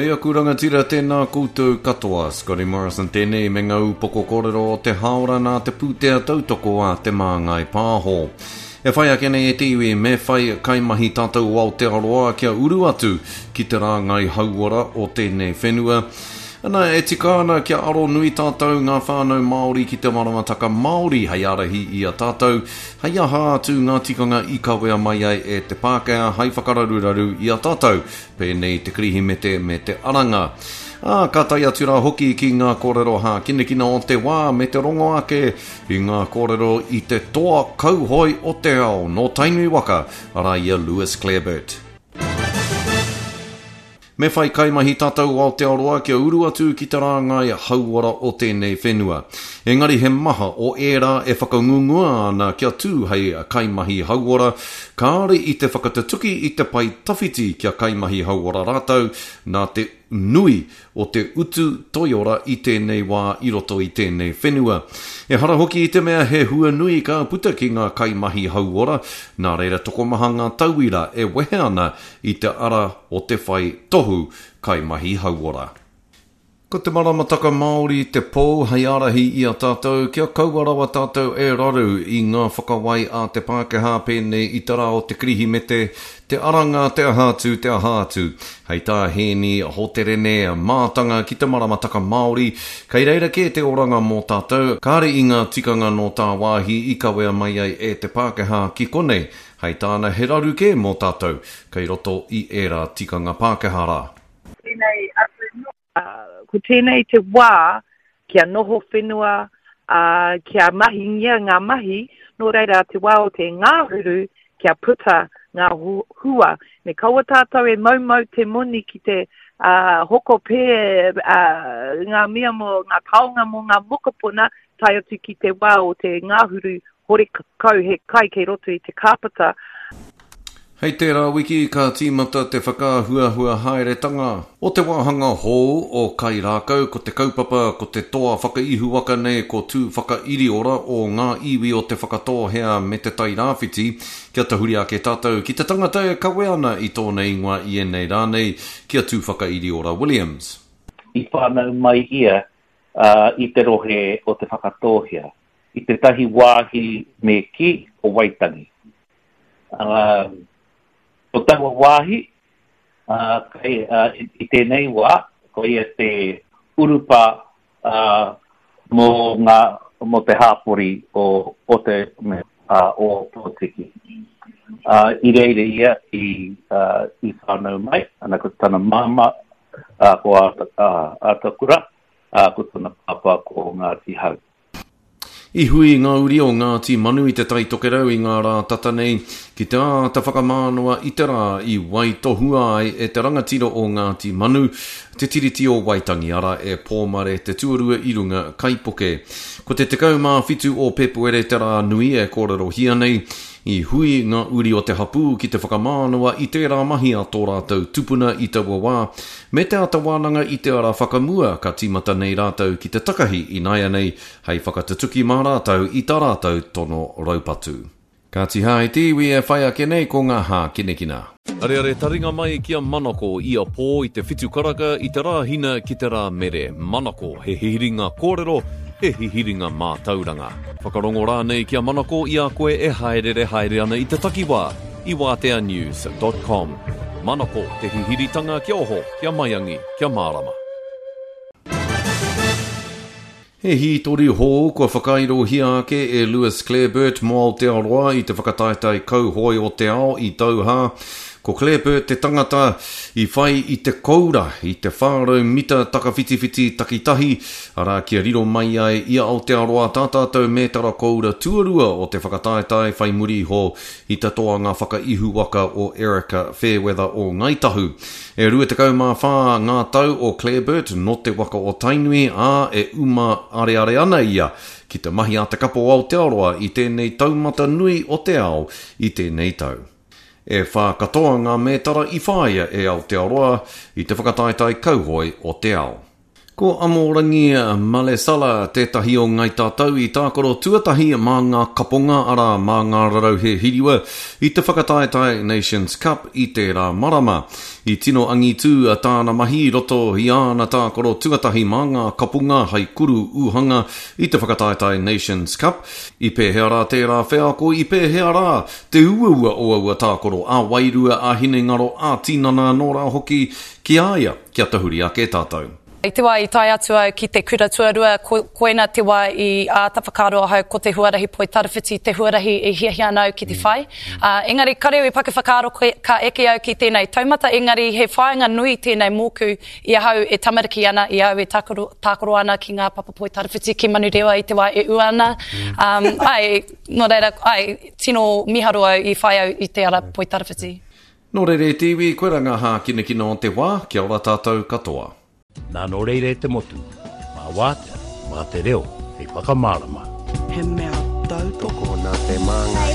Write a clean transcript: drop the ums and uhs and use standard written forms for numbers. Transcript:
Kei aku rangatira tēnā koutou katoa, Scotty Morrison tēnei me ngā upoko kōrero o te hāora nā te pūtea tautoko a Te Māngai Pāho. E whai ake nei e te iwi me whai kaimahi tātou o Aotearoa kia uru atu ki te rāngai hauora o tēnei whenua. Ana, e tika ana kia aro nui tātou ngā whānau Māori ki te maramataka Māori hei ārahi i a tātou, hei aha atu ngā tikanga i kawea mai ai e te Pākehā hei whakararuraru i a tātou, pēnei te Kirihimete me te Aranga. Ā, ka tae atu rā hoki ki ngā kōrero hākinakina o te wā me te rongo ake i ngā kōrero i te toa kauhoe o te ao nō Tainui waka, arā i a Lewis Clareburt. Me whai kaimahi tātou o Aotearoa kia uru atu ki te rāngai hauora o tēnei whenua. Engari he maha o ērā e whakangungua ana kia tū hei kaimahi hauora, kāore i te whakatutuki i te pae tawhiti kia kaimahi hauora rātou nā te nui o te utu toiora i tēnei wā i roto i tēnei whenua. Ehara hoki i te mea he hua nui ka puta ki ngā kaimahi hauora, nā reira tokomaha ngā tauira e wehe ana i te ara o te whai tohu kaimahi hauora. Ko te maramataka Māori te pou hei ārahi i a tātou kia kaua rawa tātou e raru i ngā whakawai a te Pākehā pēnei i te rā o te Kirihimete, te Aranga, te aha atu, te aha atu. Hei tā Hēni Hoterene, mātanga ki te maramataka Māori, kei reira kē te oranga mō tātou, kāre i ngā tikanga nō tāwāhi i kawea mai ai e te Pākehā ki konei. Hei tāna he raru kē mō tātou kei roto i ērā tikanga Pākehā rā. Tēnei atu nō. Ko tēnei te wā kia noho whenua, ā, kia mahingia ngā mahi, nō reira te wā o te ngahuru kia puta ngā hua. Me kaua tātou e moumou te moni ki te ā, hoko pē ā, ngā mea mō ngā taonga mō ngā mokopuna tae atu ki te wā o te ngahuru horekau he kai kei roto i te kāpata. Hei tērā wiki ka tīmata te whakaahuahua haeretanga o te wāhanga hou o Kairākau, ko te kaupapa ko te toa whakaihuwaka nei ko Tūwhakairiora o ngā iwi o Te Whakatōhea me Te Tairāwhiti. Kia tahuri ake tātou ki te tangata e kawe ana i tōna ingoa i ēnei rā nei, ki a Tūwhakairiora Williams. I whānau mai ia i te rohe o Te Whakatōhea, i tētahi wāhi me kī o Waitangi. Ā, ko taua wāhi, ā, kei, ā, i tēnei wā, koia te urupā, ā, mō ngā, mō te hāpori o, o te, me, ā, o Pōtiki. Ā, i reira ia i, ā, i whānau mai, ana ko tana māmā, ā, ko Āta, ā, Ātakura, ā, ko tana pāpā ko Ngāti Hau. I hui ngā uri o Ngāti Manu i Te Tai Tokerau i ngā rā tata nei ki te āta whakamānawa i te rā i waitohua ai e te rangatira o Ngāti Manu te Tiriti o Waitangi, arā e Pōmare te tuarua i runga kaipuke. Ko te 17 o Pēpuere te rā nui e kōrerohia nei, I hui ngā uri o te hapū ki te whakamānawa i tērā mahi a tō rātou tupuna i taua wā, me te āta wānanga i te ara whakamua ka tīmata nei rātou ki te takahi ināianei hei whakatutuki mā rātou i tā rātou tono raupatu. Kāti hā i te iwi e whai ake nei ko ngā hākinakina. Areare taringa mai ki a Manako ia pō i te whitu karaka i te Rāhina ki te Rāmere. Manako, he hihiringa kōrero, he hihiringa mātauranga. Whakarongo rānei ki a Manako i a koe e hāereere haere ana i te takiwā, i wāteanews dot com. Manako, te hihiritanga kia oho, kia maiangi, kia mārama. He hītori hou kua whakairohia ake e Lewis Clareburt mō Aotearoa i te whakataetae kauhoe o te ao i Doha. Ko Clareburt te tangata i whai i te koura i te 400 mita takawhitiwhiti takitahi, arā kia riro mai ai i a Aotearoa tā tātou mētara koura tuarua o te whakataetae whai muri iho i te toanga whakaihuwaka o Erika Fairweather o Ngāi Tahu. E 24 ngā tau o Clareburt nō te waka o Tainui, ā, e uma areare ana ia ki te mahi a te kapa o Aotearoa i tēnei taumata nui o te ao i tēnei tau. E whā katoa ngā mētara i whāia e Aotearoa i te whakataetae kauhoe o te ao. Ko Amorangi Malesala tētahi o Ngai Tātou i tākaro tuatahi mā ngā kaponga, arā, mā ngā rarauhe hiriwa, i te whakataetae Nations Cup i tērā marama. I tino angitū tāna mahi i roto i āna tākaro tuatahi mā ngā kaponga hai kuru uhanga i te whakataetae Nations Cup. I pēhea rā tērā wheako, i pēhea rā te uaua o aua tākaro ā-wairua, ā-hinengaro, ā-tinana anō rā hoki ki a ia? Kia tahuri ake tātou. I te wā i tae atu au ki te kura tuarua, ko, koina te wā i āta whakaaro ahau ko te huarahi poitarawhiti te huarahi e hiahia ana au ki te whai. Ā, engari kare au i paku whakaaro ka eke au ki tēnei taumata, engari he whāinga nui tēnei mōku i ahau e tamariki ana, i au e tākaro, tākaro ana ki ngā papa poitarawhiti ki Manurewa i te wā e ua ana. Um, ai, nō reira, ai, tino miharo au i whai au i te ara poitarawhiti. Nō reira e te iwi, koirā ngā hākinakina o te wā, kia ora tātou katoa. Nā nō reira e te motu, mā Wātea, mā te reo hei whakamārama. He mea tautoko. Tokona te māngai.